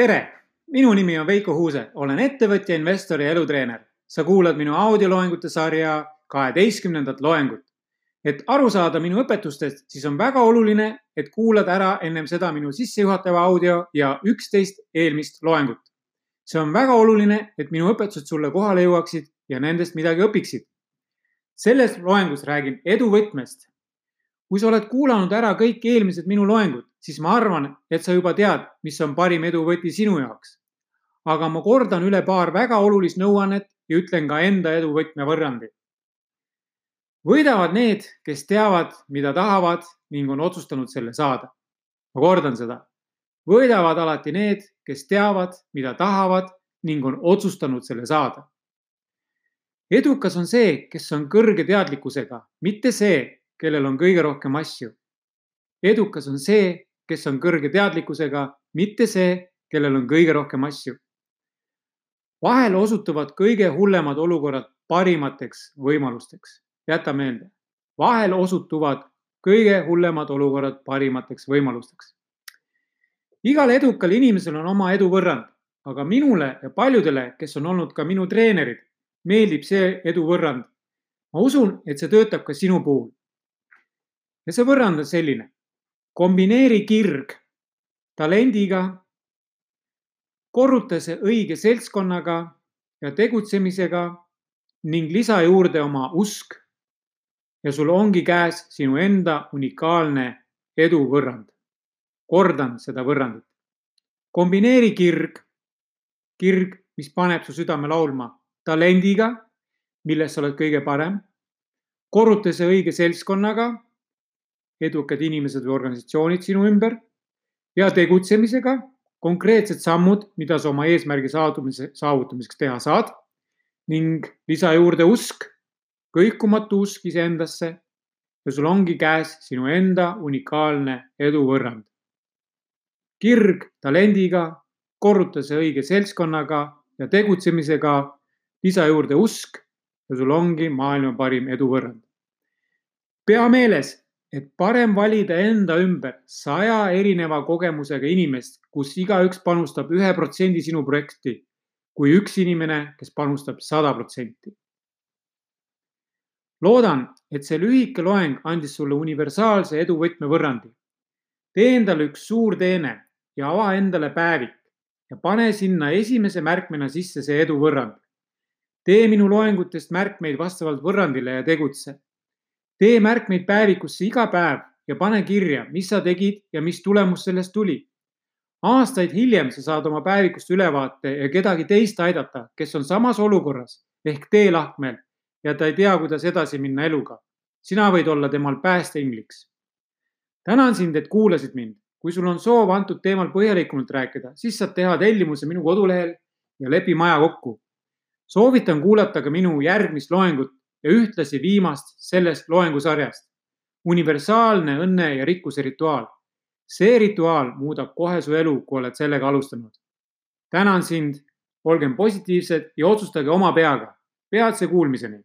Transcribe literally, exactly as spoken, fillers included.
Tere! Minu nimi on Veiko Huuse, olen ettevõtja, investor ja elutreener. Sa kuulad minu audioloengute sarja kaheteistkümnendat loengut. Et aru saada minu õpetustest, siis on väga oluline, et kuulad ära ennem seda minu sissejuhatava audio ja üksteist eelmist loengut. See on väga oluline, et minu õpetused sulle kohale jõuaksid ja nendest midagi õpiksid. Selles loengus räägin eduvõtmest. Kui sa oled kuulanud ära kõik eelmised minu loengud, siis ma arvan, et sa juba tead, mis on parim eduvõti sinu jaoks. Aga ma kordan üle paar väga olulist nõuannet ja ütlen ka enda eduvõtme võrrandi. Võidavad need, kes teavad, mida tahavad ning on otsustanud selle saada. Ma kordan seda. Võidavad alati need, kes teavad, mida tahavad ning on otsustanud selle saada. Edukas on see, kes on kõrge teadlikkusega, mitte see, kellel on kõige rohkem asju. Edukas on see, kes on kõrge teadlikkusega, mitte see, kellel on kõige rohkem asju. Vahel osutuvad kõige hullemad olukorrad parimateks võimalusteks. Jäta meelde. Vahel osutuvad kõige hullemad olukorrad parimateks võimalusteks. Igal edukal inimesel on oma edu võrrand, aga minule ja paljudele, kes on olnud ka minu treenerid, meeldib see edu võrrand. Ma usun, et see töötab ka sinu puhul. Ja see võrrand on selline. Kombineeri kirg talendiga, korruta see õige seltskonnaga ja tegutsemisega ning lisa juurde oma usk ja sul ongi käes sinu enda unikaalne edu võrrand. Kordan seda võrrandit. Kombineeri kirg, kirg, mis paneb su südame laulma talendiga, milles sa oled kõige parem, korruta see õige seltskonnaga, edukad inimesed või organisatsioonid sinu ümber ja tegutsemisega, konkreetsed sammud, mida sa oma eesmärgi saavutamiseks teha saad ning lisa juurde usk, kõikumatu usk iseendasse ja sul ongi käes sinu enda unikaalne edu võrrand. Kirg talendiga, korruta see õige seltskonnaga ja tegutsemisega, lisa juurde usk ja sul ongi maailma parim edu võrrand. Pea meeles, et parem valida enda ümber saja erineva kogemusega inimest, kus igaüks panustab ühe protsendi sinu projekti, kui üks inimene, kes panustab sada protsenti. Loodan, et see lühike loeng andis sulle universaalse eduvõtme võrrandi. Tee endale üks suur teene ja ava endale päevik ja pane sinna esimese märkmena sisse see edu võrrand. Tee minu loengutest märkmeid vastavalt võrrandile ja tegutse. Tee märkmeid päevikusse iga päev ja pane kirja, mis sa tegid ja mis tulemus sellest tuli. Aastaid hiljem sa saad oma päevikust ülevaate ja kedagi teist aidata, kes on samas olukorras ehk teelahkmel ja ta ei tea, kuidas edasi minna eluga. Sina võid olla temal päästeingliks. Tänan sind, et kuulasid mind. Kui sul on soov antud teemal põhjalikumalt rääkida, siis saad teha tellimuse minu kodulehel ja lepi maja kokku. Soovitan kuulata ka minu järgmist loengut ja ühtlasi viimast sellest loengusarjast. Universaalne õnne ja rikkuse rituaal. See rituaal muudab kohe su elu, kui oled sellega alustanud. Tänan sind, olgem positiivsed ja otsustage oma peaga. Peatse kuulmiseni.